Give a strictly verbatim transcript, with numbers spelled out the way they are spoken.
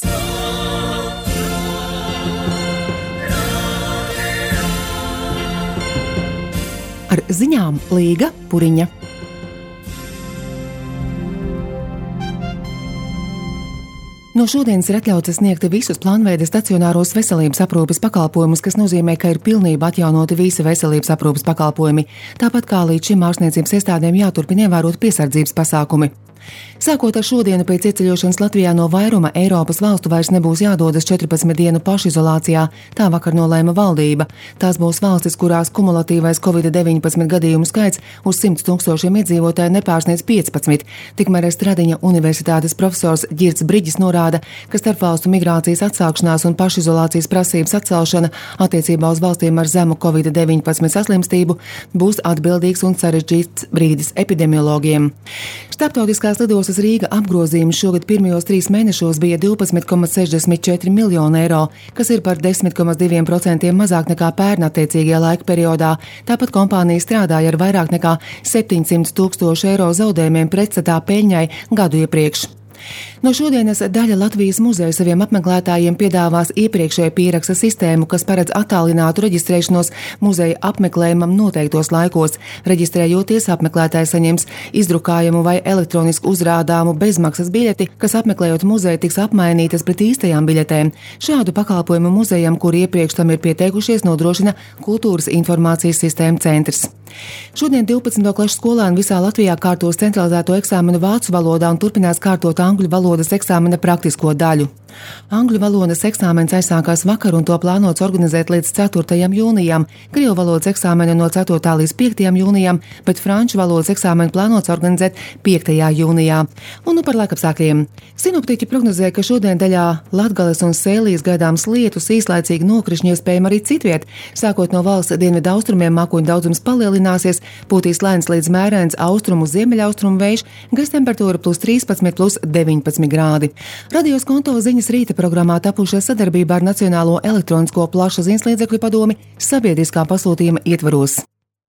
Ar ziņām Līga Puriņa. No šodienas ir atļauts sniegt visus plānveida stacionāros veselības aprūpes pakalpojumus, kas nozīmē, ka ir pilnībā atjaunoti visi veselības aprūpes pakalpojumi, tāpat kā līdz šim ārstniecības iestādēm jāturpina ievērot piesardzības pasākumi. Sākot ar šodienu pēc ieceļošanas Latvijā no vairuma Eiropas valstu vairs nebūs jādodas četrpadsmit dienu pašizolācijā, tā vakar nolēma valdība. Tās būs valstis, kurās kumulatīvais covid deviņpadsmit gadījumu skaits uz simts tūkstošiem iedzīvotāju nepārsniedz piecpadsmit. Tikmēr Stradiņa universitātes profesors Ģirds Briģis norāda, ka starpvalstu migrācijas atsākšanās un pašizolācijas prasības atcelšana attiecībā uz valstīm ar zemu covid deviņpadsmit saslimstību būs atbildīgs un sarežģīts brīdis epidemiologiem. Starptautiskās lidostas Rīga apgrozījums šogad pirmajos trīs mēnešos bija divpadsmit komats sešdesmit četri miljoni eiro, kas ir par desmit komats divi procenti mazāk nekā pērn attiecīgajā laika periodā. Tāpat kompānija strādāja ar vairāk nekā septiņsimt tūkstošu eiro zaudējumiem pretstatā peļņai gadu iepriekš. No šodienas daļa Latvijas muzeja saviem apmeklētājiem piedāvās iepriekšēju pieraksta sistēmu, kas paredz attālinātu reģistrēšanos muzeja apmeklējumam noteiktos laikos. Reģistrējoties, apmeklētājs saņems izdrukājumu vai elektronisku uzrādāmu bezmaksas biļeti, kas apmeklējot muzeju tiks apmainītas pret īstajām biļetēm. Šādu pakalpojumu muzejam, kuri iepriekš tam ir pieteikušies, nodrošina Kultūras informācijas sistēma centrs. Šodien divpadsmito klašu skolēni visā Latvijā kārtos centralizēto eksāmenu vācu valodā un turpinās kārtot angļu valodas eksāmena praktisko daļu. Angļu valodas eksāmens aizsākās vakar un to plānots organizēt līdz ceturtajam jūnijam, krievu valodas eksāmenu no ceturtā līdz piektajam jūnijam, bet franču valodas eksāmenu plānots organizēt piektajā jūnijā. Un nu par laikapstākļiem. Sinoptiķi prognozē, ka šodien daļā Latgales un Sēlijas gaidāms lietus, īslaicīgi nokrišņi iespējami arī citviet. Sākot no valsts dienvidu austrumiem mākoņu daudzums palielināsies, būtīs lēns līdz mērens austrumu ziemeļaustrumu vējš, gaisa temperatūra plus trīspadsmit, plus deviņpadsmit grādi. Radios konto ziņas rīta programmā tapušas sadarbībā ar Nacionālo elektronisko plašsaziņas līdzekļu padomi sabiedriskā pasūtījuma ietvaros.